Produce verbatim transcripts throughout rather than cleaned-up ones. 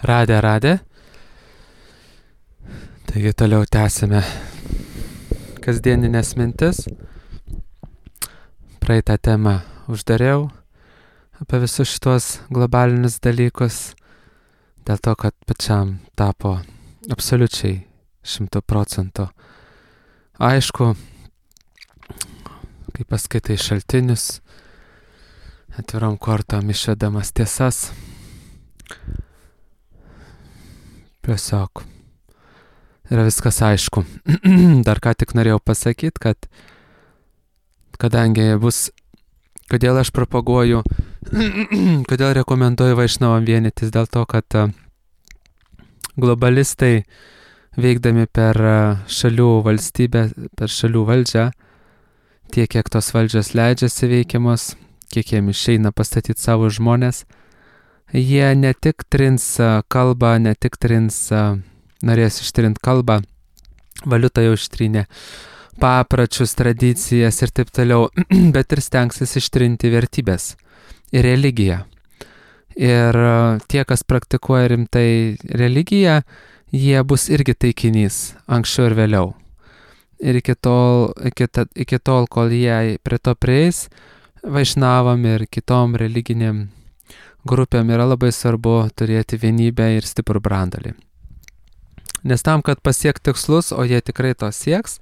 Radė, radė. Taigi toliau tęsime kasdieninės mintis. Praeitą temą uždariau apie visus šitos globalinius dalykus, dėl to, kad pačiam tapo absoliučiai šimtų procentų aišku, kai paskaitai šaltinius, atvirom kortom išvedamas tiesas. Tiesiog yra viskas aišku. Dar ką tik norėjau pasakyti, kad kadangi bus, kodėl aš propaguoju, kodėl rekomenduoju Vaišnavam vienytis, dėl to, kad globalistai veikdami per šalių valstybę, per šalių valdžią, tiek kiek tos valdžios leidžiasi veikiamos, kiek jiem išeina pastatyti savo žmonės, jie ne tik trins kalbą, ne tik trins, norės ištrint kalbą, valiutą jau ištrynė, papračius, tradicijas ir taip toliau, bet ir stengsis ištrinti vertybės ir religiją. Ir tie, kas praktikuoja rimtai religiją, jie bus irgi taikinys anksčiau ir vėliau. Ir iki tol, iki, ta, iki tol kol jie prie to prieis, Vaišnavam ir kitom religinėm grupėm yra labai svarbu turėti vienybę ir stiprų brandalį. Nes tam, kad pasiekti tikslus, o jie tikrai to sieks,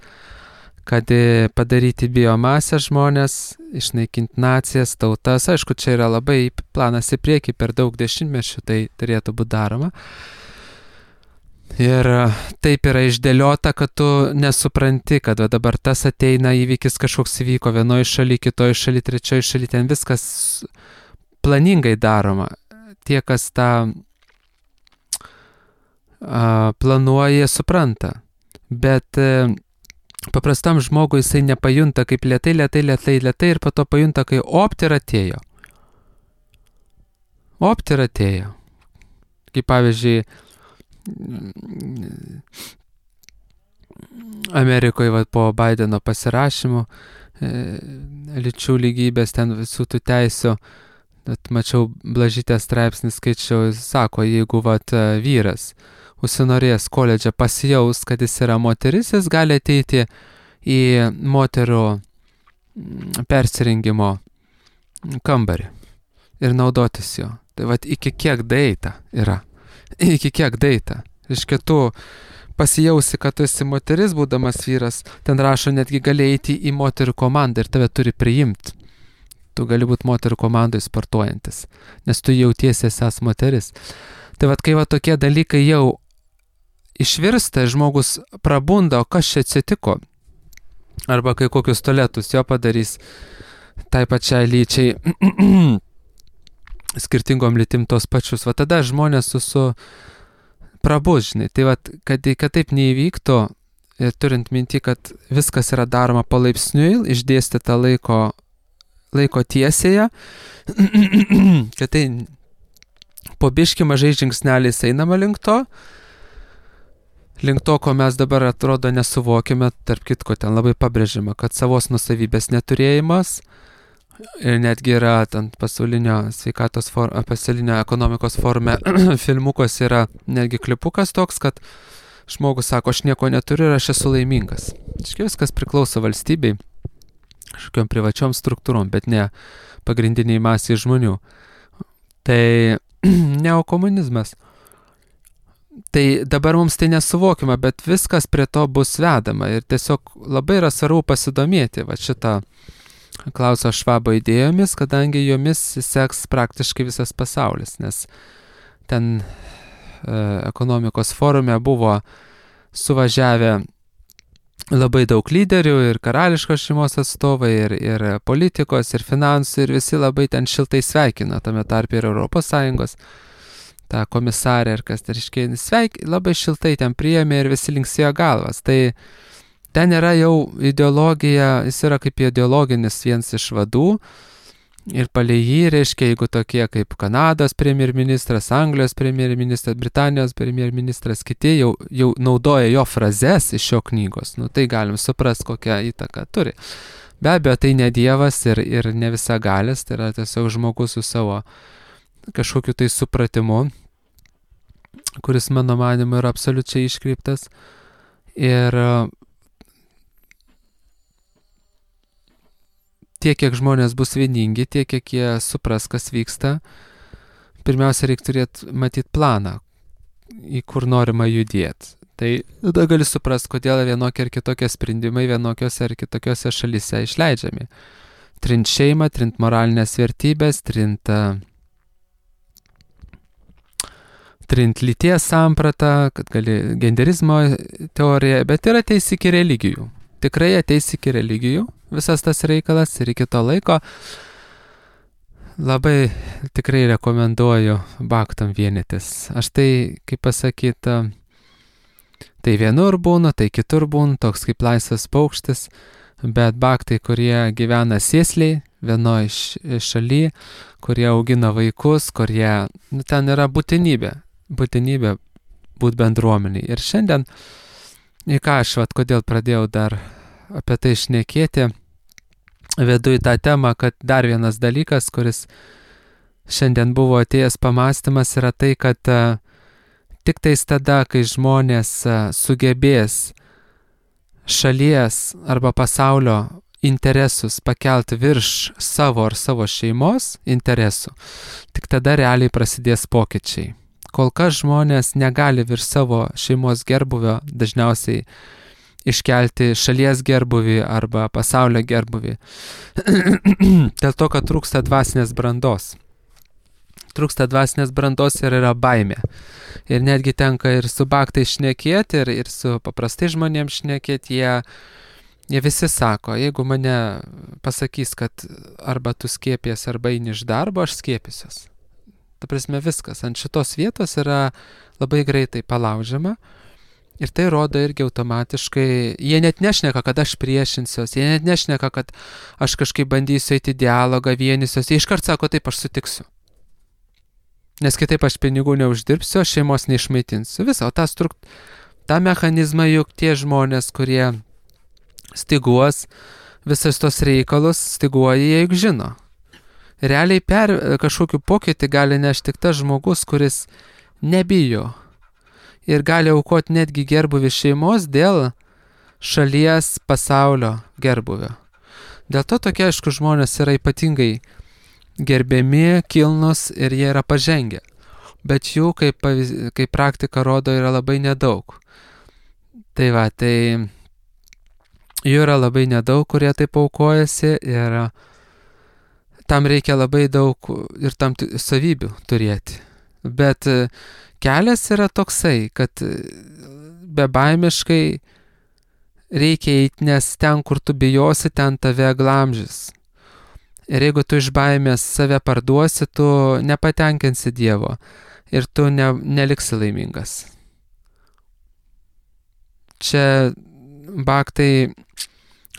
kad padaryti biomasę žmonės, išnaikinti nacijas, tautas, aišku, čia yra labai planas į priekį, per daug dešimtmečių tai turėtų būti daroma. Ir taip yra išdėliota, kad tu nesupranti, kad dabar tas ateina, įvykis kažkoks įvyko vienoje šalyje, kitoje šalyje, trečioje šalyje, ten viskas planingai daroma. Tie, kas tą a, planuoja, supranta. Bet a, paprastam žmogui jisai nepajunta, kaip lėtai, lėtai, lėtai, lėtai ir po to pajunta, kai opt ir atėjo. Opt ir atėjo. Kaip pavyzdžiui, Amerikoje va, po Baideno pasirašymo e, lyčių lygybės, ten visų tų teisių, bet mačiau Blažytės straipsnį, skaičiau, sako, jeigu vat, vyras užsinorės koledže pasijaus, kad jis yra moteris, jis gali ateiti į moterų persirengimo kambarį ir naudotis jo. Tai vat iki kiek daeita yra. Iki kiek daeita. Iškia, tu pasijausi, kad tu esi moteris, būdamas vyras, ten rašo, netgi gali eiti į moterų komandą ir tave turi priimti. Tu gali būti moterų komandoje sportuojantis, nes tu jautiesi esas moteris. Tai vat, kai va tokie dalykai jau išvirsta, žmogus prabunda, o kas čia atsitiko? Arba kai kokius tualetus jo padarys tai pačiai lyčiai, skirtingom lytim tos pačius, va tada žmonės su, su prabus, žinai. Tai va, kad, kad taip neįvyktų, ir turint minti, kad viskas yra daroma palaipsniui, išdėstyta laiko, laiko tiesėje, kad tai po biškį mažai žingsneliais einama link to, link to, ko mes dabar atrodo nesuvokime, tarp kitko ten labai pabrėžima, kad savos nusavybės neturėjimas, ir netgi yra ten pasaulinio sveikatos for, pasaulinio ekonomikos forume filmukas yra netgi klipukas toks, kad žmogus sako, aš nieko neturiu ir aš esu laimingas. Iškai viskas priklauso valstybei, kažkokiom privačiom struktūrom, bet ne pagrindiniai masiai žmonių. Tai neokomunizmas. Tai dabar mums tai nesuvokima, bet viskas prie to bus vedama ir tiesiog labai yra svarbu pasidomėti va šitą Klauso Švabo idėjomis, kadangi jomis seks praktiškai visas pasaulis, nes ten e, ekonomikos forume buvo suvažiavę labai daug lyderių ir karališkos šeimos atstovai, ir, ir politikos, ir finansų, ir visi labai ten šiltai sveikino, tame tarpe ir Europos Sąjungos, tą komisarę, ir kas tarškiai sveik, labai šiltai ten priėmė ir visi linksėjo galvas. Tai ten yra jau ideologija, jis yra kaip ideologinis vienas iš vadų ir palei jį, reiškia, jeigu tokie kaip Kanados premjerministras, Anglijos premjerministras, Britanijos premjerministras, kiti jau, jau naudoja jo frazes iš šio knygos, nu tai galim suprasti, kokią įtaką turi. Be abejo, tai ne dievas ir, ir ne visagalis, tai yra tiesiog žmogus su savo kažkokiu tai supratimu kuris mano manimu yra absoliučiai iškreiptas. Ir tiek, kiek žmonės bus vieningi, tiek, kiek jie supras, kas vyksta, pirmiausia, reikia turėti matyti planą, į kur norima judėti. Tai tada gali suprasti, kodėl vienokie ar kitokie sprendimai vienokiose ar kitokiose šalyse išleidžiami. Trint šeimą, trint moralinės vertybės, trint, trint lyties sampratą, kad gali genderizmo teoriją, bet ir ateis iki religijų. Tikrai ateis iki religijų visas tas reikalas ir iki to laiko labai tikrai rekomenduoju baktam vienytis. Aš tai, kaip pasakyti, tai vienur būnu, tai kitur būnu, toks kaip laisvas paukštis, bet baktai, kurie gyvena sėsliai, vienoje šaly, kurie augina vaikus, kurie, nu, ten yra būtinybė, būtinybė būti bendruomeniai. Ir šiandien, į ką aš, vat, kodėl pradėjau dar apie tai šnekėti, vedu į tą temą, kad dar vienas dalykas, kuris šiandien buvo atėjęs pamąstymas, yra tai, kad uh, tik tais tada, kai žmonės uh, sugebės šalies arba pasaulio interesus pakelti virš savo ar savo šeimos interesų, tik tada realiai prasidės pokyčiai. Kol kas žmonės negali virš savo šeimos gerbuvio dažniausiai iškelti šalies gerbuvį arba pasaulio gerbuvį. Dėl to, kad trūksta dvasinės brandos. Trūksta dvasinės brandos ir yra baimė. Ir netgi tenka ir su baktai šnekėti, ir, ir su paprastai žmonėms šnekėti, jie, jie visi sako, jeigu mane pasakys, kad arba tu skiepies, arba eini iš darbo, aš skiepysiuos. Ta prasme, viskas ant šitos vietos yra labai greitai palaužiama. Ir tai rodo irgi automatiškai, jie net nešneka, kad aš priešinsiuos, jie net nešneka, kad aš kažkaip bandysiu eiti dialogą, vienysiuos, jie iškart sako, taip aš sutiksiu. Nes kitaip aš pinigų neuždirbsiu, šeimos neišmaitinsiu. Visą, o tą, struk... tą mechanizmą juk tie žmonės, kurie stiguos visus tos reikalus, stiguoja, jie juk žino. Realiai per kažkokiu pokytį gali nešti tik tas žmogus, kuris nebijo. Ir gali aukoti netgi gerbuvį šeimos dėl šalies pasaulio gerbuvio. Dėl to tokie, aišku, žmonės yra ypatingai gerbiami, kilnus ir jie yra pažengę. Bet jų, kaip, kaip praktika rodo, yra labai nedaug. Tai va, tai jų yra labai nedaug, kurie taip aukojasi ir tam reikia labai daug ir tam savybių turėti. Bet kelias yra toksai, kad bebaimiškai reikia eiti, nes ten, kur tu bijosi, ten tave glamžys. Ir jeigu tu iš baimės save parduosi, tu nepatenkinsi Dievo ir tu ne, neliksi laimingas. Čia baktai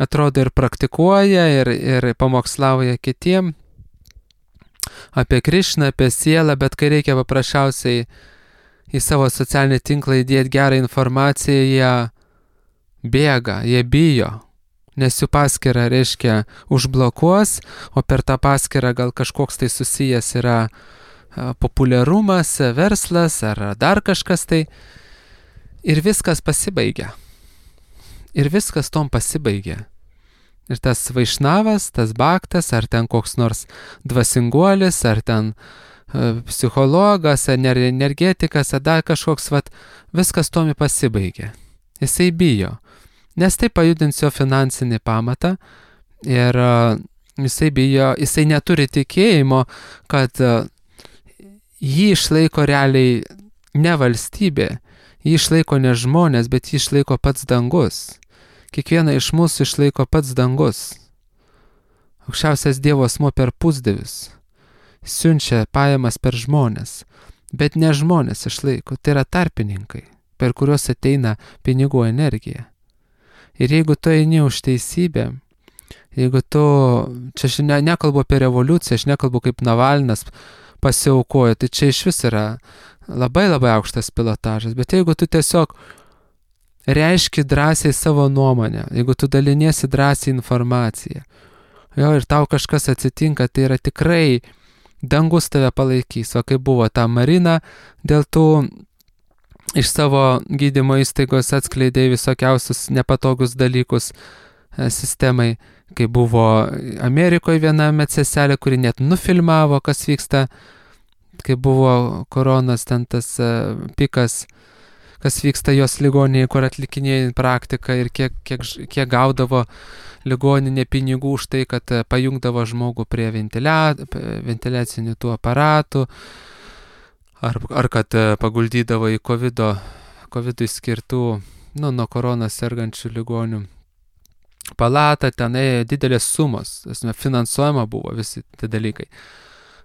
atrodo ir praktikuoja, ir, ir pamokslauja kitiem apie Krišną, apie sielą, bet kai reikia paprasčiausiai į savo socialinį tinklą įdėti gerą informaciją, jie bėga, jie bijo, nes jų paskyrą, reiškia, užblokuos, o per tą paskyrą gal kažkoks tai susijęs yra populiarumas, verslas ar dar kažkas tai. Ir viskas pasibaigia. Ir viskas tom pasibaigia. Ir tas vaišnavas, tas baktas, ar ten koks nors dvasinguolis, ar ten uh, psichologas, ar energetikas, ar dar kažkoks, vat, viskas tomi pasibaigia. Jisai bijo, nes tai pajudins jo finansinį pamatą ir uh, jisai bijo, jisai neturi tikėjimo, kad uh, jį išlaiko realiai ne valstybė, jį išlaiko ne žmonės, bet jį išlaiko pats dangus. Kiekvieną iš mūsų išlaiko pats dangus. Aukščiausias Dievo asmuo per pusdievius siunčia pajamas per žmonės, bet ne žmonės išlaiko, tai yra tarpininkai, per kuriuos ateina pinigų energija. Ir jeigu tu eini už teisybę, jeigu tu, čia aš ne, nekalbu apie revoliuciją, aš nekalbu kaip Navalnas pasiaukojo, tai čia iš vis yra labai labai aukštas pilotažas, bet jeigu tu tiesiog reiški drąsiai savo nuomonę, jeigu tu daliniesi drąsiai informaciją, jo, ir tau kažkas atsitinka, tai yra tikrai dangus tave palaikys, o kaip buvo ta Marina dėl tų iš savo gydymo įstaigos atskleidė visokiausius nepatogus dalykus e, sistemai, kai buvo Amerikoje viena medseselė, kuri net nufilmavo, kas vyksta, kai buvo koronas, ten tas e, pikas, kas vyksta jos ligoninėje, kur atlikinėjo praktiką ir kiek, kiek, kiek gaudavo ligoninė pinigų už tai, kad e, pajungdavo žmogų prie ventilia, ventiliacinių tų aparatų, ar, ar kad e, paguldydavo į covido, covidui skirtų, nu, nuo koronos sergančių ligonių palatą, ten ėjo didelės sumos, finansuojama buvo visi tie dalykai.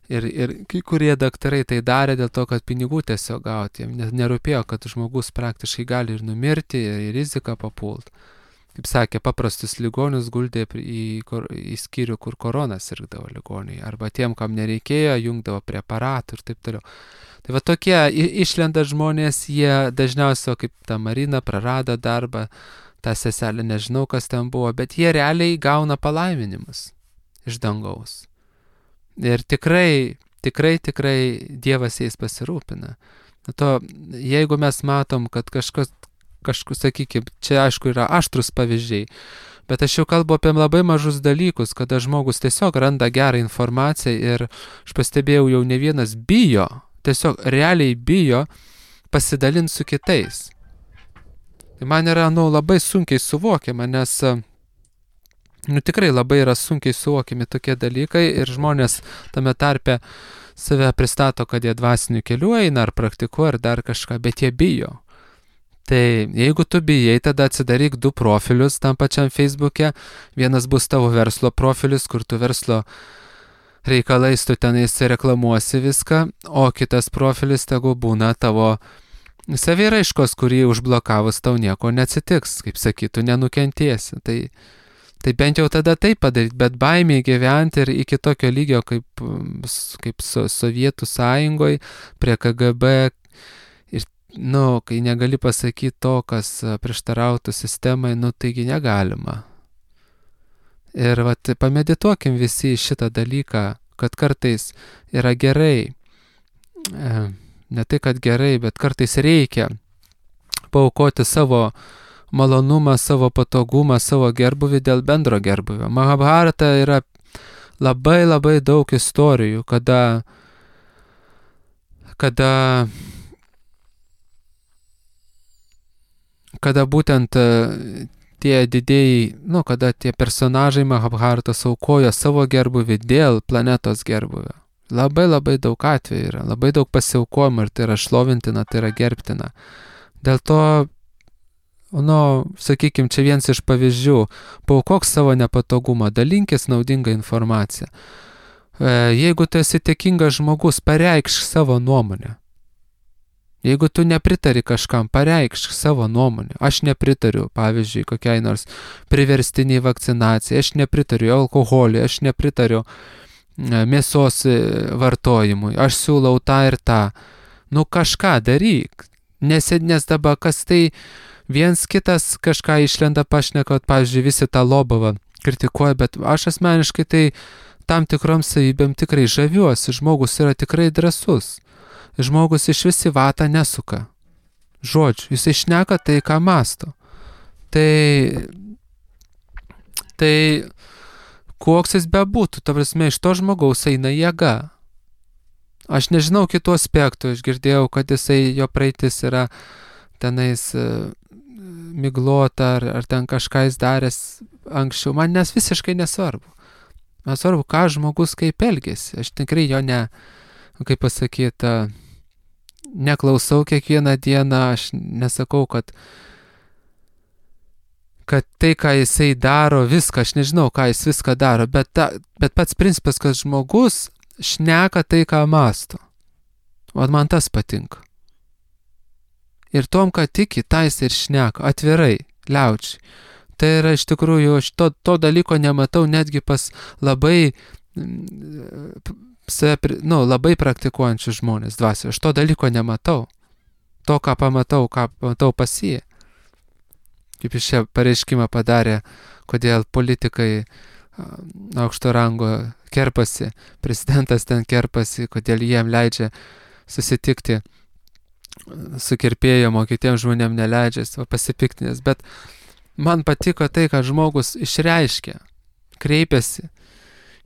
Ir, ir kai kurie daktarai tai darė dėl to, kad pinigų tiesiog gauti, jiems nerūpėjo, kad žmogus praktiškai gali ir numirti, ir į riziką papult. Kaip sakė, paprastus ligonius guldė į, į skyrių, kur korona sirgdavo ligoniai, arba tiem, kam nereikėjo, jungdavo prie aparatų ir taip toliau. Tai va tokie išlenda žmonės, jie dažniausiai, kaip ta Marina, prarado darbą, tą seselę nežinau, kas ten buvo, bet jie realiai gauna palaiminimus iš dangaus. Ir tikrai, tikrai, tikrai Dievas jais pasirūpina. To, jeigu mes matom, kad kažkas, kažkas, sakykime, čia aišku yra aštrus pavyzdžiai, bet aš jau kalbu apie labai mažus dalykus, kada žmogus tiesiog randa gerą informaciją ir aš pastebėjau, jau ne vienas bijo, tiesiog realiai bijo pasidalinti su kitais. Tai man yra, nu, labai sunkiai suvokiama, nes nu, tikrai labai yra sunkiai suvokiami tokie dalykai ir žmonės tame tarpe save pristato, kad jie dvasiniu keliu eina ar praktikuoja ar dar kažką, bet jie bijo. Tai jeigu tu bijai, tada atsidaryk du profilius tam pačiam Facebook'e. Vienas bus tavo verslo profilis, kur tu verslo reikalais tu tenais reklamuosi viską, o kitas profilis tegu būna tavo saviraiškos, kurį užblokavus tau nieko neatsitiks, kaip sakytų, nenukentėsi. Tai Tai bent jau tada taip padaryti, bet baimiai gyventi ir iki tokio lygio kaip, kaip so, Sovietų sąjungoje, prie K G B, ir, nu, kai negali pasakyti to, kas prieštarautų sistemai, nu, taigi negalima. Ir vat, pamedituokim visi šitą dalyką, kad kartais yra gerai, ne tai, kad gerai, bet kartais reikia paaukoti savo malonumą, savo patogumą, savo gerbuvį dėl bendro gerbuvio. Mahabharata yra labai labai daug istorijų, kada, kada, kada būtent tie didėjai, nu, kada tie personažai Mahabharatos aukojo savo gerbuvį dėl planetos gerbuvio. Labai labai daug atvejų yra, labai daug pasiaukojimo ir tai yra šlovintina, tai yra gerbtina. Dėl to, nu, sakykime, čia vienas iš pavyzdžių, paaukok savo nepatogumą, dalinkis naudingą informaciją. Jeigu tu esi dėkingas žmogus, pareikšk savo nuomonę. Jeigu tu nepritari kažkam, pareikšk savo nuomonę. Aš nepritariu, pavyzdžiui, kokiai nors priverstiniai vakcinacijai, aš nepritariu alkoholiui, aš nepritariu mėsos vartojimui, aš siūlau tą ir tą. Nu, kažką daryk, nes, nes dabar kas tai viens kitas kažką išlenda pašnekot, pavyzdžiui, visi tą Lobovą kritikuoja, bet aš asmeniškai tai tam tikrom savybėm tikrai žaviuosi. Žmogus yra tikrai drąsus. Žmogus iš visi vatą nesuka. Žodžiu, jis išneka tai, ką mąsto. Tai, tai koks jis bebūtų, ta prasme, iš to žmogaus eina jėga. Aš nežinau kitų aspektų, aš girdėjau, kad jisai, jo praeitis yra tenais miglota, ar, ar ten kažką jis daręs anksčiau, man nes visiškai nesvarbu. Man svarbu, ką žmogus kaip elgėsi. Aš tikrai jo ne, kaip pasakyti, neklausau kiekvieną dieną, aš nesakau, kad, kad tai, ką jisai daro, viską, aš nežinau, ką jis viską daro, bet, ta, bet pats principas, kad žmogus šneka tai, ką mąsto. O man tas patinka. Ir tom, ką tiki, tais ir šneka, atvirai, liaučiai. Tai yra iš tikrųjų, aš to, to dalyko nematau netgi pas labai, nu, labai praktikuojančių žmonės dvasią. Aš to dalyko nematau. To, ką pamatau, ką pamatau pas jį. Kaip iš čia pareiškimą padarė, kodėl politikai aukšto rango kerpasi, prezidentas ten kerpasi, kodėl jiem leidžia susitikti su kirpėjom, o kitiems žmonėm neleidžia, jis va pasipiktinęs. Bet man patiko tai, kad žmogus išreiškia, kreipiasi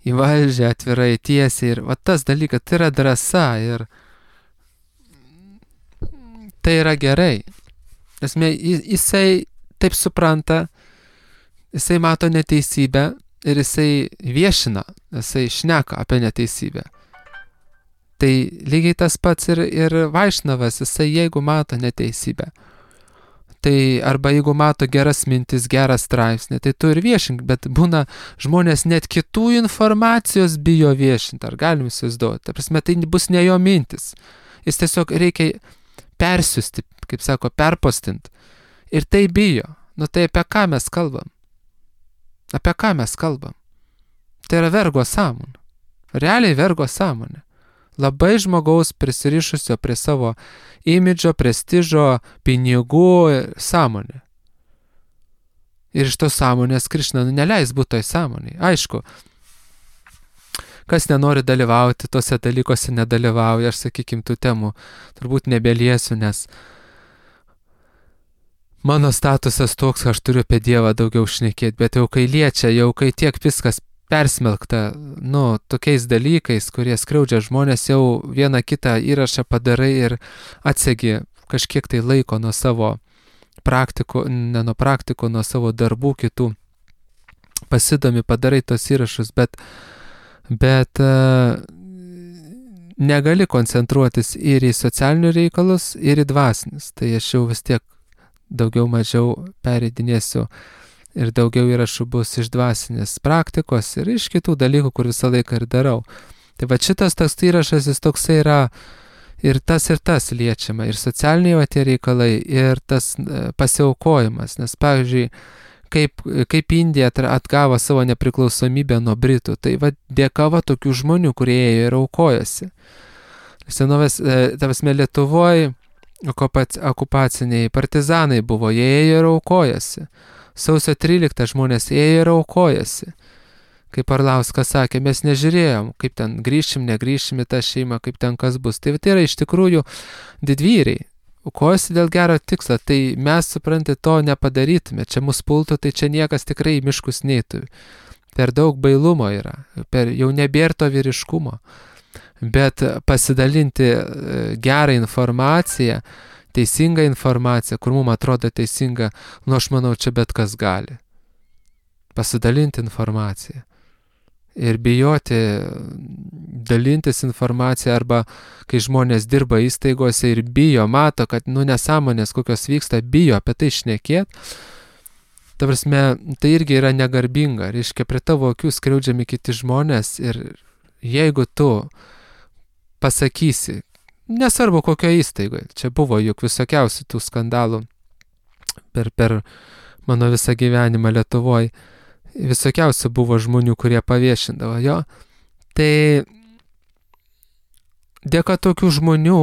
į valdžią atvirai, tiesiai. Ir va tas dalykas, tai yra drąsa ir tai yra gerai. Esmė, jisai taip supranta, jisai mato neteisybę ir jisai viešina, jisai šneka apie neteisybę. Tai lygiai tas pats ir, ir Vaišnavas, jisai jeigu mato neteisybę, tai arba jeigu mato geras mintis, gerą straipsnį, tai tu ir viešink, bet būna žmonės net kitų informacijos bijo viešinti, ar galim įsivaizduoti. Ta prasme, tai bus ne jo mintis. Jis tiesiog reikia persiusti, kaip sako, perpostinti. Ir tai bijo. Nu tai apie ką mes kalbam? Apie ką mes kalbam? Tai yra vergo sąmonė. Realiai vergo sąmonė. Labai žmogaus prisirišusio prie savo imidžo, prestižo, pinigų sąmonė. Ir iš tos sąmonės Krišna nu, neleis būti toj sąmonėje. Aišku, kas nenori dalyvauti tose dalykuose, nedalyvauja, aš sakykim, tų temų turbūt nebeliesiu, nes mano statusas toks, aš turiu apie Dievą daugiau šnekėti, bet jau kai liečia, jau kai tiek viskas persmelkta, nu, tokiais dalykais, kurie skriaudžia žmonės, jau vieną kitą įrašą padarai ir atsegi kažkiek tai laiko nuo savo praktikų, ne nuo praktikų, nuo savo darbų kitų, pasidomi, padarai tos įrašus, bet, bet uh, negali koncentruotis ir į socialinių reikalus, ir į dvasinius. Tai aš jau vis tiek daugiau mažiau pereidinėsiu ir daugiau įrašų bus iš dvasinės praktikos ir iš kitų dalykų, kur visą laiką ir darau. Tai va šitas toks įrašas, jis toksai yra ir tas ir tas liečiama, ir socialiniai va tie reikalai, ir tas pasiaukojimas. Nes, pavyzdžiui, kaip, kaip Indija atgavo savo nepriklausomybę nuo Britų, tai va dėka va tokių žmonių, kurie ėjo ir aukojosi. Senovės, tavasme, Lietuvoje okupaciniai partizanai buvo, jie ėjo ir aukojosi. Sausio tryliktą žmonės ėjo ir aukojasi. Kaip Arlauskas sakė, mes nežiūrėjom, kaip ten grįšim, negrįšim į tą šeimą, kaip ten kas bus. Tai tai yra iš tikrųjų didvyriai. Aukojasi dėl gero tikslo. Tai mes, suprantate, to nepadarytume. Čia mus pultų, tai čia niekas tikrai į miškus neitų. Per daug bailumo yra. Per, jau nebėra to vyriškumo. Bet pasidalinti gerą informaciją, teisingą informaciją, kur mums atrodo teisinga, nu aš manau, čia bet kas gali. Pasidalinti informaciją. Ir bijoti dalintis informaciją, arba kai žmonės dirba įstaigose ir bijo, mato, kad nu nesąmonės kokios vyksta, bijo apie tai šnekėti. Ta prasme, tai irgi yra negarbinga. Reiškia, prie tavo akių skriaudžiami kiti žmonės ir jeigu tu pasakysi, nesvarbu kokio įstaigoje. Čia buvo juk visokiausių tų skandalų per, per mano visą gyvenimą Lietuvoje. Visokiausių buvo žmonių, kurie paviešindavo jo. Tai dėka tokių žmonių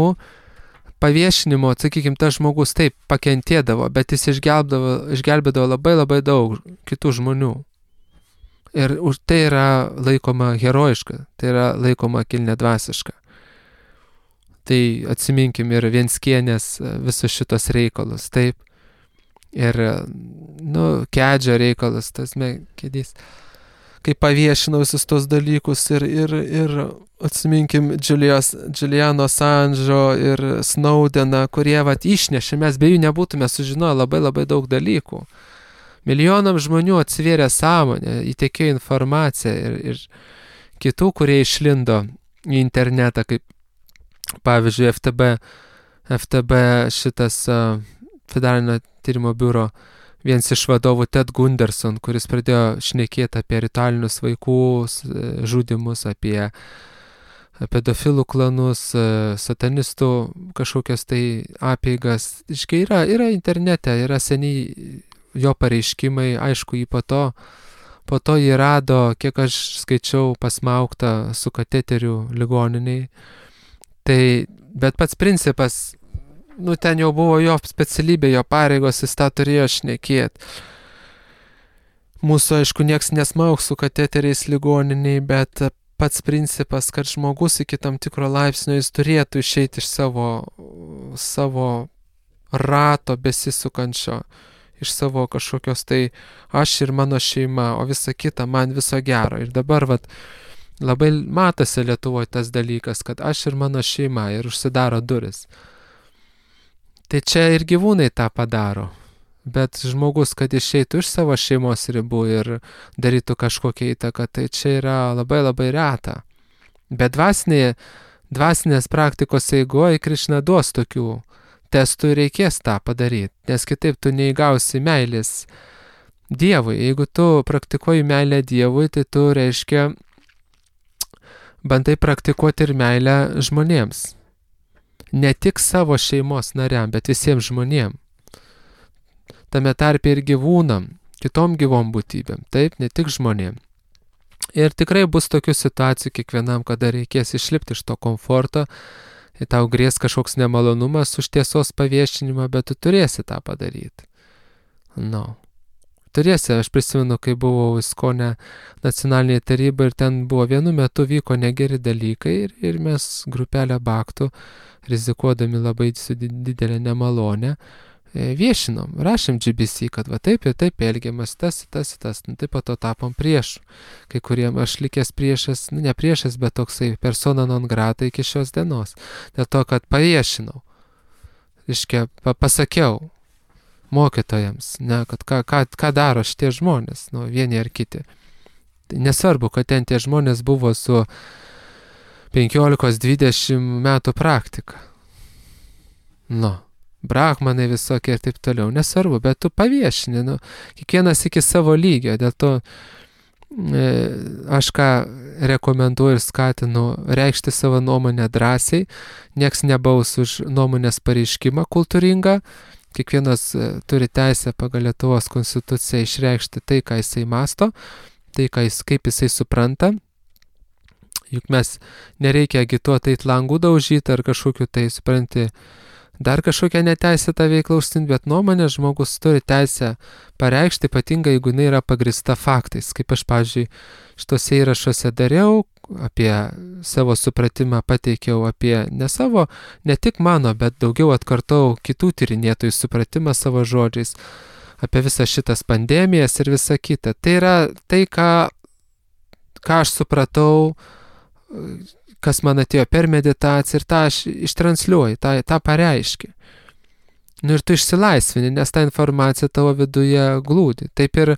paviešinimo, sakykime, tas žmogus taip pakentėdavo, bet jis išgelbėdavo, išgelbėdavo labai labai daug kitų žmonių. Ir už tai yra laikoma herojiška, tai yra laikoma kilniadvasiška. Tai atsiminkim ir Vienskienės visus šitos reikalus, taip. Ir, nu, Kedžio reikalas, tas Kedys. Kai paviešinau visus tos dalykus ir, ir, ir atsiminkim Juliano Assange'o ir Snowdeną, kurie vat išnešė, mes be jų nebūtume sužinoję labai labai daug dalykų. Milijonam žmonių atsivėrė sąmonę, įtekėjo informaciją ir, ir kitų, kurie išlindo į internetą, kaip pavyzdžiui, F T B, F T B šitas uh, federalinio tyrimo biuro, vienas iš vadovų Ted Gunderson, kuris pradėjo šnekėti apie ritualinius vaikų žudymus, apie pedofilų klanus, satanistų kažkokias tai apeigas. Iškai yra, yra internete, yra seniai jo pareiškimai, aišku, jį po to, po to jį rado, kiek aš skaičiau, pasmaugtą su kateteriu ligoniniai. Tai, bet pats principas, nu ten jau buvo jo specialybė, jo pareigos, jis tą turėjo šnekėti. Mūsų, aišku, nieks nesmaugs su kateteriais ligoniniai, bet pats principas, kad žmogus iki tam tikro laipsnio jis turėtų išeiti iš savo, savo rato besisukančio, iš savo kažkokios tai aš ir mano šeima, o visa kita man viso gero. Ir dabar vat, labai matosi Lietuvoje tas dalykas, kad aš ir mano šeima ir užsidaro duris. Tai čia ir gyvūnai tą padaro. Bet žmogus, kad išeitų iš savo šeimos ribų ir darytų kažkokią įtaką, tai čia yra labai labai reta. Bet dvasinė, dvasinės praktikos eigoje Krišna duos tokių testų ir reikės tą padaryti, nes kitaip tu neįgausi meilės Dievui. Jeigu tu praktikuoji meilę Dievui, tai tu reiškia bandai praktikuoti ir meilę žmonėms. Ne tik savo šeimos nariam, bet visiems žmonėms. Tame tarpe ir gyvūnam, kitom gyvom būtybėm, taip, ne tik žmonėm. Ir tikrai bus tokių situacijų kiekvienam, kada reikės išlipti iš to komforto, ir tau grės kažkoks nemalonumas už tiesos paviešinimą, bet tu turėsi tą padaryti. No. Turėsi, aš prisimenu, kai buvau Iskone nacionalinėje taryboje ir ten buvo vienu metu vyko negeri dalykai ir, ir mes grupelę baktų, rizikuodami labai su didelė nemalonė, viešinom, rašėm G B C, kad va taip ir taip elgiamas, tas, tas, tas, nu taip po to tapom priešų. Kai kuriem aš likęs priešas, nu ne priešas, bet toksai persona non grata iki šios dienos. Dėl to, kad paviešinau, reiškia, pa pasakiau mokytojams, ne, kad ką, ką, ką daro šitie žmonės, nu, vieni ar kiti. Tai nesvarbu, kad ten tie žmonės buvo su penkiolikos dvidešimt metų praktika. Nu. Brahmanai visokie ir taip toliau, nesvarbu, bet tu paviešini, nu, kiekvienas iki savo lygio, dėl to e, aš ką rekomenduoju ir skatinu reikšti savo nuomonę drąsiai, nieks nebaus už nuomonės pareiškimą kultūringą, kiekvienas e, turi teisę pagal Lietuvos konstituciją išreikšti tai, ką jisai masto, tai, ką jis, kaip jisai supranta, juk mes nereikia agituoti eit langų daužyti ar kažkokiu tai, supranti, dar kažkokią neteisėtą veiklą užsiimti, bet nuomonę žmogus turi teisę pareikšti, ypatingai jeigu jinai yra pagrįsta faktais. Kaip aš, pavyzdžiui, šitose įrašuose dariau, apie savo supratimą pateikiau, apie ne savo, ne tik mano, bet daugiau atkartau kitų tyrinėtojų supratimą savo žodžiais, apie visas šitas pandemijas ir visą kitą. Tai yra tai, ką, ką aš supratau, kas man atėjo per meditaciją ir tą aš ištransliuoju, tą, tą pareiškiu. Nu ir tu išsilaisvini, nes ta informacija tavo viduje glūdi. Taip ir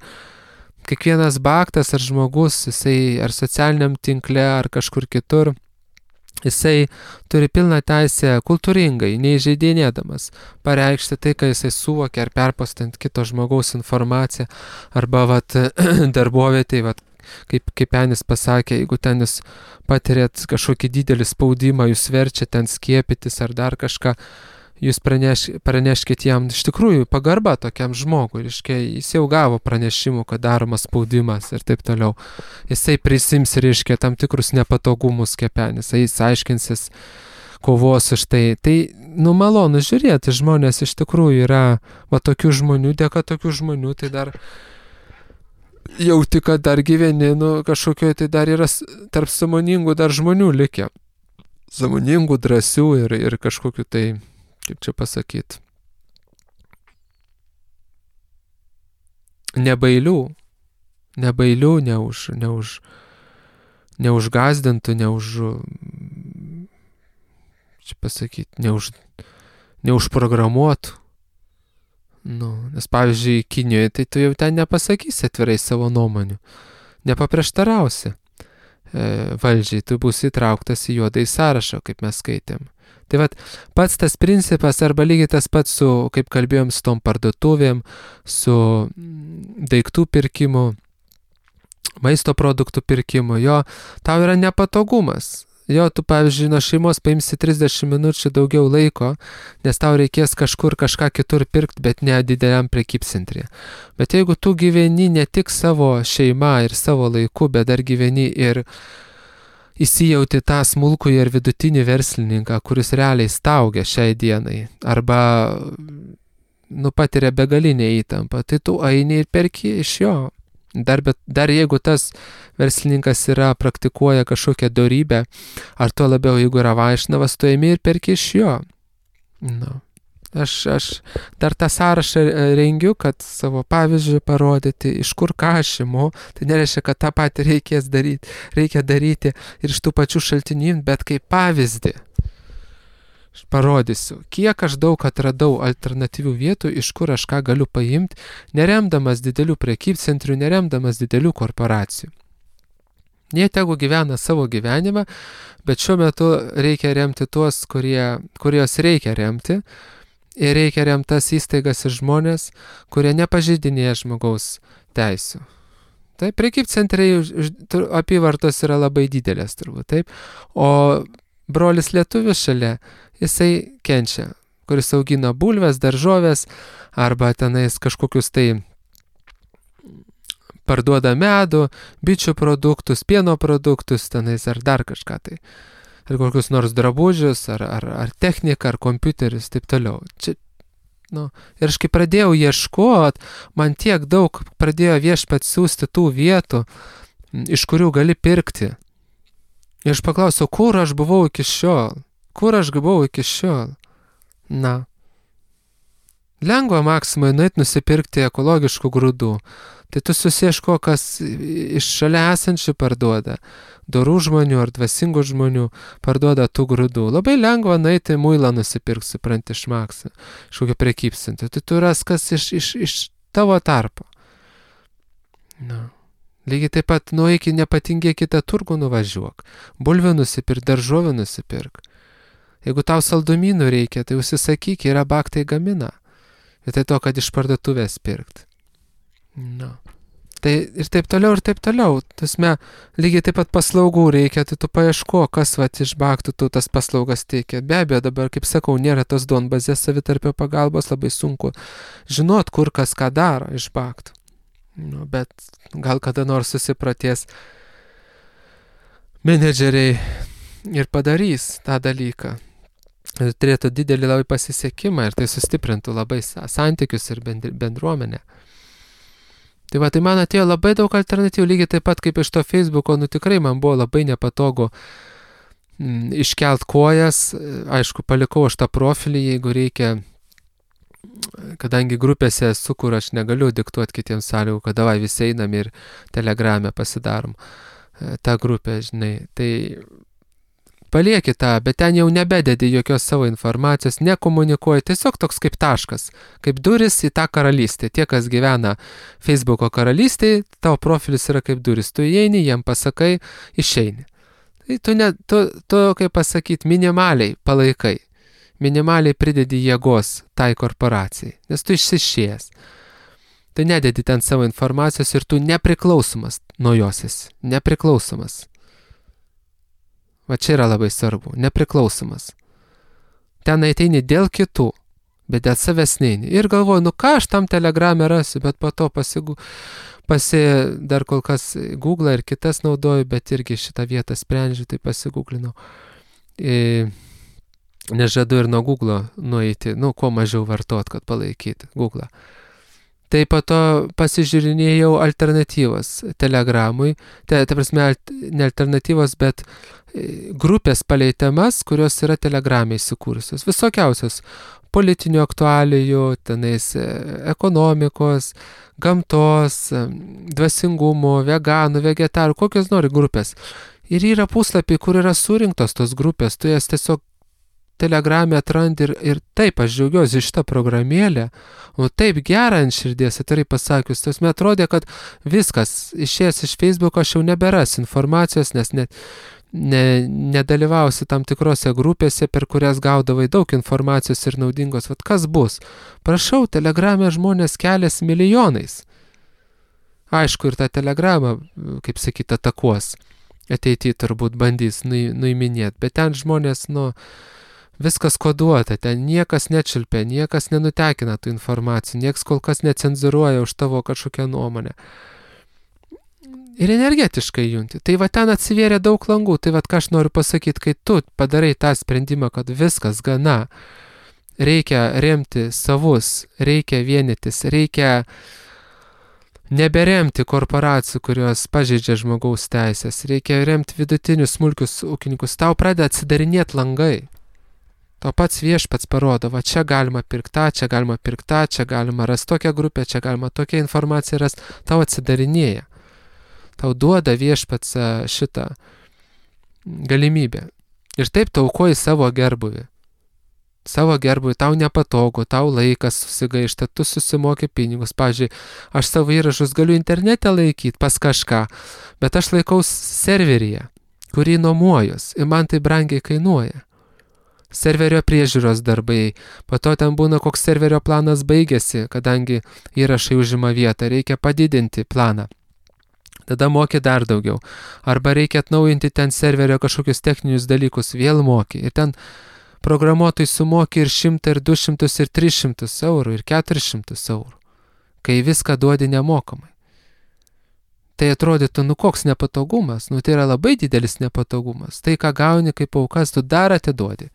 kiekvienas baktas ar žmogus, jisai ar socialiniam tinkle, ar kažkur kitur, jisai turi pilną teisę kultūringai, neįžeidinėdamas, pareikšti tai, ką jisai suvokia, ar perpostant kito žmogaus informaciją, arba vat, darbovietėj, vat, kaip, kaip Enis pasakė, jeigu ten jūs patirėt kažkokį didelį spaudimą, jūs verčia ten skiepytis ar dar kažką, jūs praneš, praneškit jam iš tikrųjų pagarba tokiam žmogui, reiškia, jis jau gavo pranešimų, kad daromas spaudimas ir taip toliau. Jisai prisims, reiškia, tam tikrus nepatogumus kepenis, jis aiškinsis, kovos už tai. Tai, nu, malonu žiūrėti, žmonės iš tikrųjų yra, va, tokių žmonių, dėka tokių žmonių, tai dar jauti, kad dar gyveni, nu, kažkokio, tai dar yra tarp sąmoningų dar žmonių likę. Sąmoningų, drąsių ir, ir kažkokiu tai, kaip čia pasakyti, nebailių, nebailių, neuž, neuž, neužgazdintų, neuž, čia pasakyti, neuž, neužprogramuotų. Nu, nes pavyzdžiui, Kinijoje, tai tu jau ten nepasakysi atvirai savo nuomonių, nepaprieštarausi e, valdžiai, tu būsi įtrauktas į juodą į sąrašą, kaip mes skaitėm. Tai vat, pats tas principas, arba lygiai tas pats su, kaip kalbėjom, su tom parduotuvėm, su daiktų pirkimu, maisto produktų pirkimu, jo, tau yra nepatogumas. Jo, tu, pavyzdžiui, nuo šeimos paimsi trisdešimt minučių daugiau laiko, nes tau reikės kažkur kažką kitur pirkti, bet ne dideliam prekybcentrėje. Bet jeigu tu gyveni ne tik savo šeima ir savo laiku, bet dar gyveni ir įsijauti tą smulkų ir vidutinį verslininką, kuris realiai staugia šiai dienai, arba nu, patiria begalinę įtampą, tai tu eini ir perki iš jo. Dar, bet, dar jeigu tas verslininkas yra, praktikuoja kažkokią dorybę, ar tuo labiau, jeigu yra vaišnavas, tu ėmi ir perki iš jo. Na. Aš, aš dar tą sąrašą rengiu, kad savo pavyzdžių parodyti, iš kur ką aš imu. Tai nereiškia, kad tą patį reikės daryti, reikia daryti ir iš tų pačių šaltinių, bet kaip pavyzdį. Aš parodysiu, kiek aš daug atradau alternatyvių vietų, iš kur aš ką galiu paimti, neremdamas didelių prekybcentrių, neremdamas didelių korporacijų. Jie tegu gyvena savo gyvenimą, bet šiuo metu reikia remti tuos, kurie, kurios reikia remti, ir reikia remti tas įstaigas ir žmonės, kurie nepažeidinėja žmogaus teisių. Taip, prekybcentriai apyvartos yra labai didelės turbūt, taip, o brolis lietuvis šalia, jisai kenčia, kuris augina bulves, daržovės, arba tenais kažkokius tai parduoda medų, bičių produktus, pieno produktus, tenais ar dar kažką tai. Ar kokius nors drabužius, ar, ar, ar techniką, ar kompiuterius, taip toliau. Čia, nu, ir aš kai pradėjau ieškot, man tiek daug pradėjo viešpats siųsti tų vietų, iš kurių gali pirkti. Ir aš paklausiau, kur aš buvau iki šiol? Kur aš buvau iki šiol? Na. Lengva Maksimai nueit nusipirkti ekologiškų grūdų. Tai tu susieško, kas iš šalia esančių parduoda. Dorų žmonių ar dvasingų žmonių parduoda tų grūdų. Labai lengva nueiti muilą nusipirkti, supranti, iš Maksimą, iš kokio prekybcentrio. Tai tu ras kas iš, iš, iš tavo tarpo. Na. Lygiai taip pat nueik į nepatingėk kitą turgų nuvažiuok. Bulvių nusipirk, daržovių nusipirk. Jeigu tau saldumynų reikia, tai užsisakyk, yra baktai gamina. Ir tai to, kad iš parduotuvės pirkt. Na. Tai ir taip toliau, ir taip toliau. Tasme, lygiai taip pat paslaugų reikia, tai tu paieško, kas vat iš baktų tu tas paslaugas teikia. Be abejo, dabar, kaip sakau, nėra tos duonbazės savitarpio pagalbos, labai sunku žinot, kur kas ką daro iš baktų. Nu, bet gal kada nors susipratės menedžeriai ir padarys tą dalyką. Ir turėtų didelį labai pasisekimą ir tai sustiprintų labai santykius ir bendruomenę. Tai va, tai man atėjo labai daug alternatyvų, lygiai taip pat kaip iš to Facebooko, nu tikrai man buvo labai nepatogu m, iškelt kojas, aišku, palikau aš tą profilį, jeigu reikia, kadangi grupėse esu, kur aš negaliu diktuoti kitiems sąlygų, kad davai visi einam ir Telegrame pasidarom tą grupę, žinai, tai palieki tą, bet ten jau nebededi jokios savo informacijos, nekomunikuoji, tiesiog toks kaip taškas, kaip duris į tą karalystę. Tie, kas gyvena Facebooko karalystėje, tavo profilis yra kaip duris. Tu įeini, jiem pasakai, išeini. Tai tu, ne, tu, tu kaip pasakyti, minimaliai palaikai, minimaliai pridedi jėgos tai korporacijai, nes tu išsišėjęs. Tu nededi ten savo informacijos ir tu nepriklausomas nuo jos esi, nepriklausomas. Va čia yra labai svarbu, nepriklausomas. Ten ateini dėl kitų, bet dėl savęs neini. Ir galvoju, nu ką aš tam Telegrame rasiu, bet po to pasigu, pasi, dar kol kas Google ir kitas naudoju, bet irgi šitą vietą sprendžiu, tai pasigūglinau. E, nežadu ir nuo Google nueiti, nu, kuo mažiau vartot, kad palaikyti Google. Tai po to pasižiūrinėjau alternatyvas Telegramui, tai, tai prasme, ne alternatyvos, bet grupės palei temas, kurios yra Telegrame įsikūrusios. Visokiausios politinių aktualijų, tenais ekonomikos, gamtos, dvasingumo, veganų, vegetarų, kokios nori grupės. Ir yra puslapiai, kur yra surinktos tos grupės, tu jas tiesiog Telegrame atrandi ir, ir taip aš džiaugiuosi iš tą programėlę, o taip gera ant širdies, atvirai pasakius, tas man atrodė, kad viskas, išėjęs iš Facebooko aš jau neberas informacijos, nes net ne, nedalyvausi tam tikrose grupėse, per kurias gaudavai daug informacijos ir naudingos. Vat kas bus? Prašau, Telegrame žmonės kelias milijonais. Aišku, ir tą Telegramą, kaip sakyt, atakuos. Ateityje turbūt bandys nuiminėti, bet ten žmonės, nu, viskas koduota, ten niekas nečiulpia, niekas nenutekina tų informacijų, niekas kol kas necenzuruoja už tavo kažkokią nuomonę. Ir energetiškai junti. Tai va ten atsivėrė daug langų, tai va ką aš noriu pasakyti, kai tu padarai tą sprendimą, kad viskas gana, reikia remti savus, reikia vienytis, reikia Neberemti korporacijų, kurios pažeidžia žmogaus teisės. Reikia remti vidutinius smulkius ūkininkus. Tau pradeda atsidarinėti langai. Tau pats viešpats parodo, va čia galima pirkta, čia galima pirkta, čia galima rasti tokią grupę, čia galima tokią informaciją rasti. Tau atsidarinėja. Tau duoda viešpats šitą galimybę. Ir taip tau aukoji savo gerbuvį. Savo gerbuvį, tau nepatogu, tau laikas susigaišta, tu susimoki pinigus. Pavyzdžiui, aš savo įrašus galiu internete laikyti pas kažką, bet aš laikau serveryje, kurį nuomuojus ir man tai brangiai kainuoja. Serverio priežiūros darbai, po to ten būna koks serverio planas baigėsi, kadangi įrašai užima vietą, reikia padidinti planą. Tada moki dar daugiau. Arba reikia atnaujinti ten serverio kažkokius techninius dalykus, vėl moki. Ir ten programuotojai sumoki ir šimtą, ir du šimtus, ir tris šimtus eurų, ir keturis šimtus eurų, kai viską duodi nemokamai. Tai atrodytų, nu koks nepatogumas, nu tai yra labai didelis nepatogumas. Tai, ką gauni kaip aukas, tu dar atiduodi.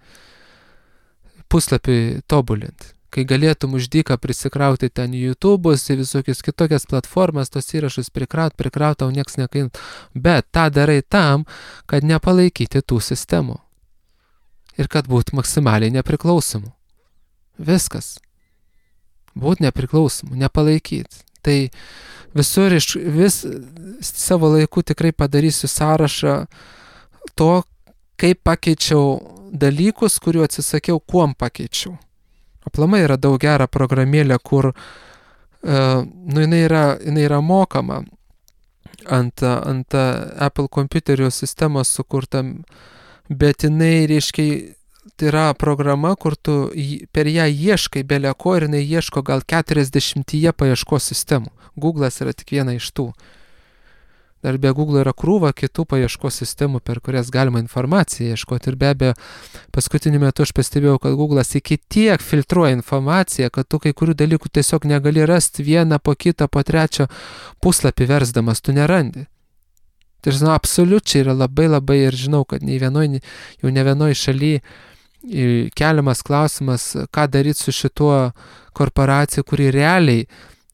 Puslapį tobulint. Kai galėtum už dyką prisikrauti ten YouTube'us ir visokius kitokias platformas, tos įrašus prikraut, prikraut, tau nieks nekainų. Bet tą darai tam, kad nepalaikyti tų sistemų. Ir kad būtų maksimaliai nepriklausomų. Viskas. Būt nepriklausomų, nepalaikyti. Tai visur iš vis savo laiku tikrai padarysiu sąrašą to, kaip pakeičiau dalykus, kuriuo atsisakiau, kuom pakeičiau. Aplamai yra daug gera programėlė, kur uh, nu, jinai, yra, jinai yra mokama ant, ant Apple kompiuterio sistemos sukurta, bet jinai, reiškia, tai yra programa, kur tu per ją ieškai beleko ir jinai ieško gal keturiasdešimtyje paieškos sistemų. Google'as yra tik viena iš tų. Dar be Google yra krūva kitų paieškos sistemų, per kurias galima informaciją ieškoti. Ir be abejo, paskutiniu metu aš pastebėjau, kad Google'as iki tiek filtruoja informaciją, kad tu kai kurių dalykų tiesiog negali rasti vieną po kitą, po trečią puslapį versdamas, tu nerandi. Tai žinau, absoliučiai yra labai labai ir žinau, kad nei vienoj, jau ne vienoj šaly keliamas klausimas, ką daryti su šituo korporacija, kuri realiai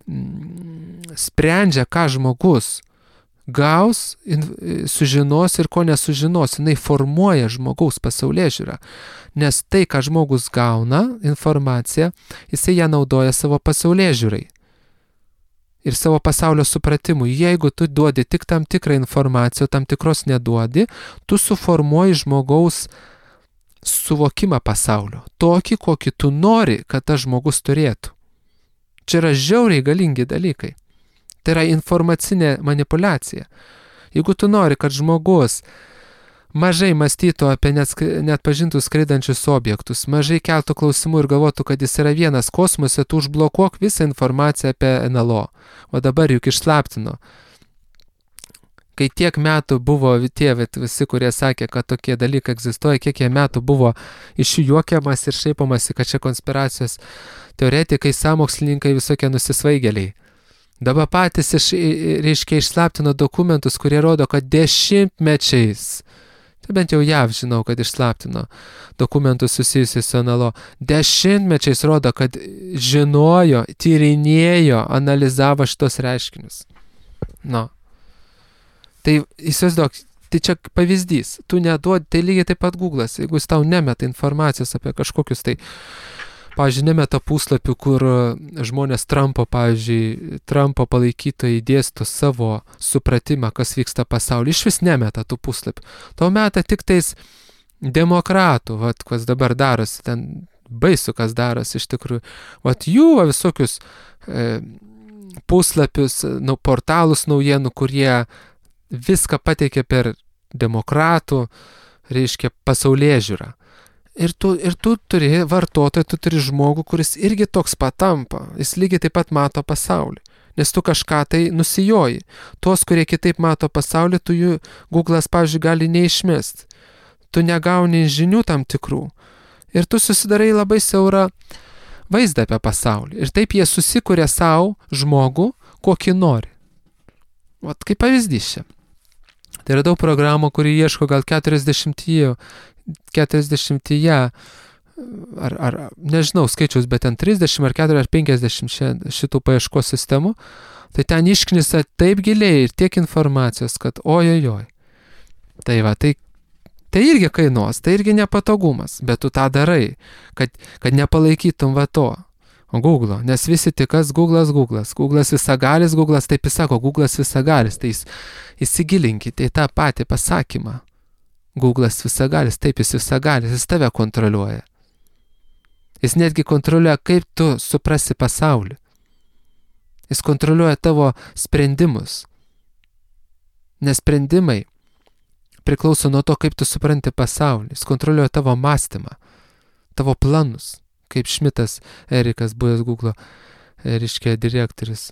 mm, sprendžia, ką žmogus gaus, sužinos ir ko nesužinos. Jinai formuoja žmogaus pasaulėžiūrą. Nes tai, ką žmogus gauna, informaciją, jisai ją naudoja savo pasaulėžiūrai. Ir savo pasaulio supratimui. Jeigu tu duodi tik tam tikrą informaciją, tam tikros neduodi, tu suformuoji žmogaus suvokimą pasaulio. Tokį, kokį tu nori, kad tas žmogus turėtų. Čia yra žiauriai galingi dalykai. Tai yra informacinė manipulacija. Jeigu tu nori, kad žmogus mažai mąstytų apie net pažintus skraidančius objektus, mažai keltų klausimų ir galvotų, kad jis yra vienas kosmose, tu užblokuok visą informaciją apie N L O. O dabar juk išslaptino. Kai tiek metų buvo tie visi, kurie sakė, kad tokie dalykai egzistuoja, kiek jie metų buvo iš jų juokiamas ir šaipamasi, kad čia konspiracijos teoretikai, sąmokslininkai, visokie nusisvaigėliai. Dabar patys iš, reiškia, išslaptino dokumentus, kurie rodo, kad dešimtmečiais, tai bent jau J A V žinau, kad išslaptino dokumentus susijusius su N L O, dešimtmečiais rodo, kad žinojo, tyrinėjo, analizavo šitos reiškinius. Nu. Tai įsivaizduok, tai čia pavyzdys, tu neduodi, tai lygiai taip pat Google'as, jeigu jis tau nemeta informacijos apie kažkokius tai, pavyzdžiui, nemeta puslapių, kur žmonės Trumpo, pavyzdžiui, Trumpo palaikytojai dėsto savo supratimą, kas vyksta pasaulyje, iš vis nemeta tų puslapių. Tau meta tik tais demokratų, vat, kas dabar darosi, ten baisu, kas darosi iš tikrųjų. Vat jų va, visokius e, puslapius, nu, portalus naujienų, kurie viską pateikia per demokratų, reiškia, pasaulėžiūrą. Ir tu, ir tu turi vartotoją, tu turi žmogų, kuris irgi toks patampa. Jis lygiai taip pat mato pasaulį. Nes tu kažką tai nusijoji. Tuos, kurie kitaip mato pasaulį, tu jų Google'as, pavyzdžiui, gali neišmesti. Tu negauni žinių tam tikrų. Ir tu susidarai labai siaurą vaizdą apie pasaulį. Ir taip jie susikuria savo žmogų, kokį nori. Vat kaip pavyzdys čia. Tai yra daug programų, kuri ieško gal keturiasdešimtyje, keturiasdešimtyje ar, ar nežinau skaičiaus, bet ten trisdešimt ar keturiasdešimt ar penkiasdešimt šitų paieškos sistemų, tai ten išknisa taip giliai ir tiek informacijos, kad ojojoj. Tai va, tai, tai irgi kainuos, tai irgi nepatogumas, bet tu tą darai, kad, kad nepalaikytum va to. Google, nes visi tik kas Google'as, Google'as, Google'as visagalis, Google'as taip jis sako, Google'as visagalis, tai įsigilinkite į tą patį pasakymą. Google'as visagalis, taip jis visagalis, jis tave kontroliuoja. Jis netgi kontroliuoja, kaip tu suprasi pasaulį. Jis kontroliuoja tavo sprendimus. Nes sprendimai priklauso nuo to, kaip tu supranti pasaulį. Jis kontroliuoja tavo mąstymą, tavo planus. Kaip Šmitas Erikas, buvęs Google, reiškia direktorius,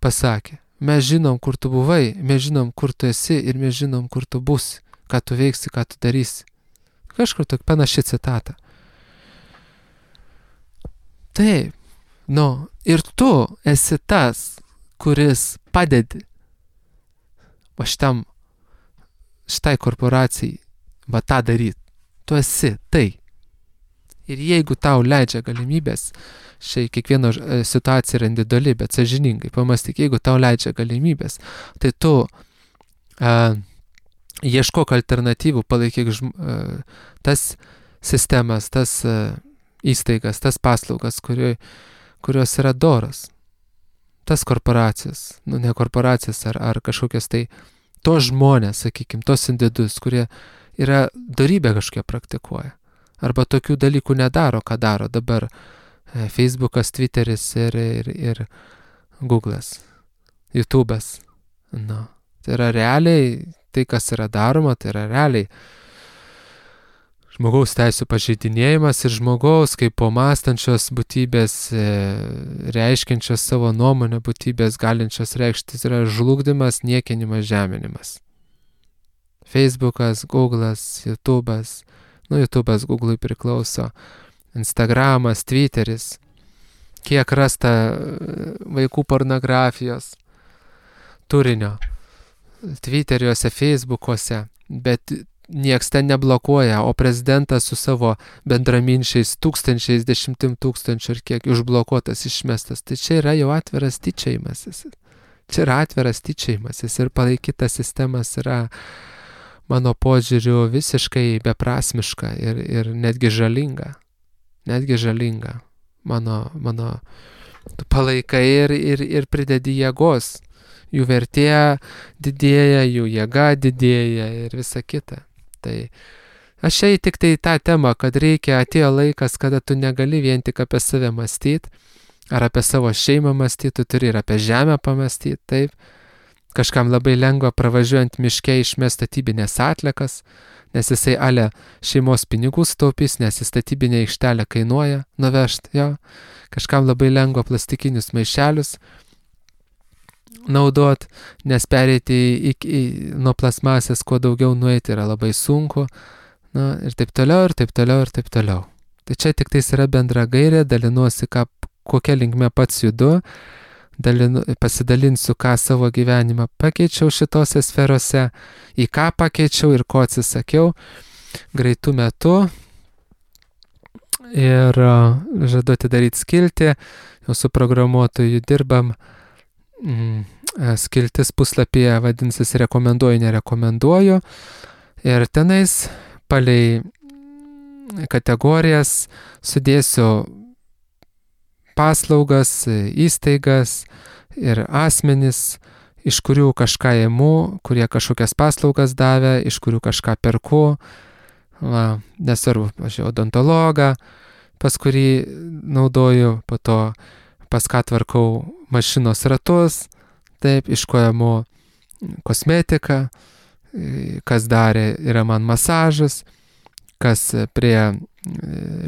pasakė. Mes žinom, kur tu buvai, mes žinom, kur tu esi ir mes žinom, kur tu būsi, ką tu veiksi, ką tu darysi. Kažkur tokia panaši citata. Taip, nu, ir tu esi tas, kuris padedi va šitam, šitai korporacijai va tą daryti. Tu esi tai. Ir jeigu tau leidžia galimybės, šiai kiekvieno situacija yra individuali, bet sąžiningai pamąstyk, jeigu tau leidžia galimybės, tai tu a, ieškok alternatyvų, palaikyk žm, a, tas sistemas, tas a, įstaigas, tas paslaugas, kurio, kurios yra doros. Tas korporacijas, nu ne korporacijas ar, ar kažkokias tai, tos žmonės, sakykime, tos individus, kurie yra dorybę kažkokią praktikuoja. Arba tokių dalykų nedaro, ką daro dabar Facebookas, Twitteris ir, ir, ir Google'as, YouTube'as. Nu, tai yra realiai, tai kas yra daroma, tai yra realiai žmogaus teisų pažeidinėjimas ir žmogaus kaip po mąstančios būtybės, reiškiančios savo nuomonę būtybės, galinčios reikštis, yra žlugdymas, niekinimas, žeminimas. Facebookas, Google'as, YouTube'as, nu, YouTube'as Google'ui priklauso, Instagramas, Twitteris, kiek rasta vaikų pornografijos turinio Twitteriuose, Facebookuose, bet nieks ten neblokuoja, o prezidentas su savo bendraminčiais tūkstančiais, dešimtim tūkstančių ir kiek užblokuotas, išmestas. Tai čia yra jau atviras tyčiojimasis. Čia yra atviras tyčiojimasis ir palaikytas sistemas yra mano požiūriu visiškai beprasmiška ir, ir netgi žalinga. Netgi žalinga. Mano, mano palaikai ir, ir, ir pridedi jėgos. Jų vertė didėja, jų jėga didėja ir visa kita. Tai aš šiai tik tai tą temą, kad reikia, atėjo laikas, kada tu negali vien tik apie save mąstyti, ar apie savo šeimą mąstyti, tu turi ir apie žemę pamąstyti, taip. Kažkam labai lengva pravažiuojant miške išmest statybinės atlikas, nes jisai ale šeimos pinigų staupys, nes į statybinę aikštelę kainuoja nuvežti, jo. Kažkam labai lengva plastikinius maišelius naudot, nes pereiti į, į, nuo plasmasės kuo daugiau nueiti yra labai sunku, na, ir taip toliau, ir taip toliau, ir taip toliau. Tai čia tik tais yra bendra gairė, dalinuosi, ką, kokia linkme pats judu, dalinu, pasidalinsiu, ką savo gyvenimą pakeičiau šitose sferose, į ką pakeičiau ir ko atsisakiau greitų metų. Ir uh, žadu atidaryti skiltį, jau su programuotoju dirbam. Mm, skiltis puslapyje vadinsis rekomenduoju, nerekomenduoju. Ir tenais palei kategorijas sudėsiu paslaugas, įstaigas ir asmenis, iš kurių kažką imu, kurie kažkokias paslaugas davė, iš kurių kažką perku. Va, nesvarbu, aš odontologą, pas kurį naudoju, po to pas ką tvarkau mašinos ratus, taip, iš ko imu kosmetiką, kas darė, yra man masažas, kas prie,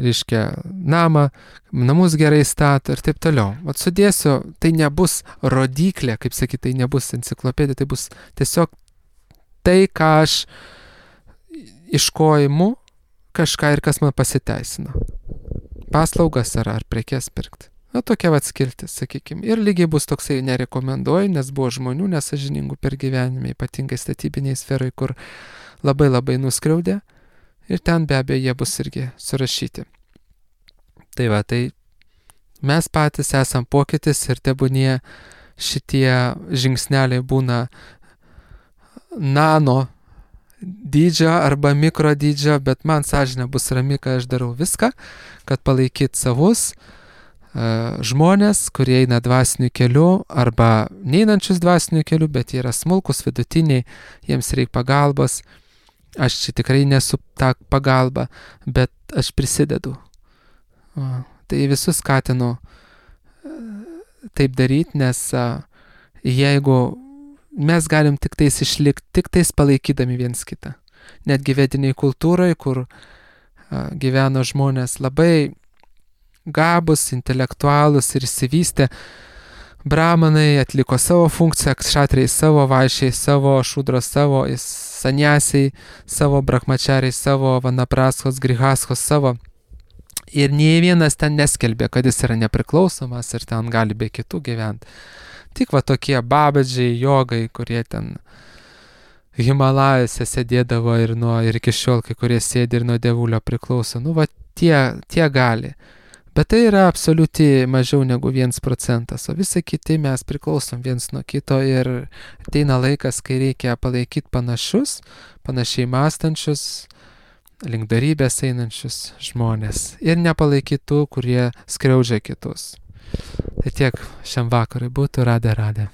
reiškia, namą, namus gerai stato ir taip toliau. Vat sudėsiu, tai nebus rodiklė, kaip sakyti, tai nebus enciklopedija, tai bus tiesiog tai, ką aš iš ko imu kažką ir kas man pasiteisino. Paslaugas ar, ar prekes pirkti. Na, tokia vat skiltis, sakykime. Ir lygiai bus toksai nerekomenduoju, nes buvo žmonių nesažiningų per gyvenimą, ypatingai statybiniai sferai, kur labai labai nuskriaudė. Ir ten be abejo jie bus irgi surašyti. Tai va, tai mes patys esam pokytis ir tebūnie šitie žingsneliai būna nano dydžio arba mikro dydžio, bet man sąžinė bus rami, kad aš darau viską, kad palaikyt savus uh, žmonės, kurie eina dvasiniu keliu arba neinančius dvasiniu keliu, bet jie yra smulkus, vidutiniai, jiems reikia pagalbos. Aš čia tikrai nesu ta pagalba, bet aš prisidedu. Uh, tai visus skatinu uh, taip daryti, nes uh, jeigu mes galim tik tais išlikti, tik tais palaikydami viens kitą. Netgi vediniai kultūrai, kur a, gyveno žmonės labai gabus, intelektualus ir išsivystę, brahmanai atliko savo funkciją, kšatriai savo, vaišiai savo, šudros savo, saniasiai savo, brahmačariai savo, vanapraskos, grihaskos savo. Ir nei vienas ten neskelbė, kad jis yra nepriklausomas ir ten gali be kitų gyventi. Tik va tokie babadžiai, jogai, kurie ten Himalajose sėdėdavo ir, nuo, ir iki šiol kai kurie sėdi ir nuo dievulio priklauso. Nu va tie, tie gali. Bet tai yra absoliuti mažiau negu vienas procentas, o visi kiti mes priklausom viens nuo kito ir ateina laikas, kai reikia palaikyti panašus, panašiai mąstančius, link darybės einančius žmonės ir nepalaikyti tų, kurie skriaudžia kitus. Tai tiek šiam vakarui būtų, radė, radė.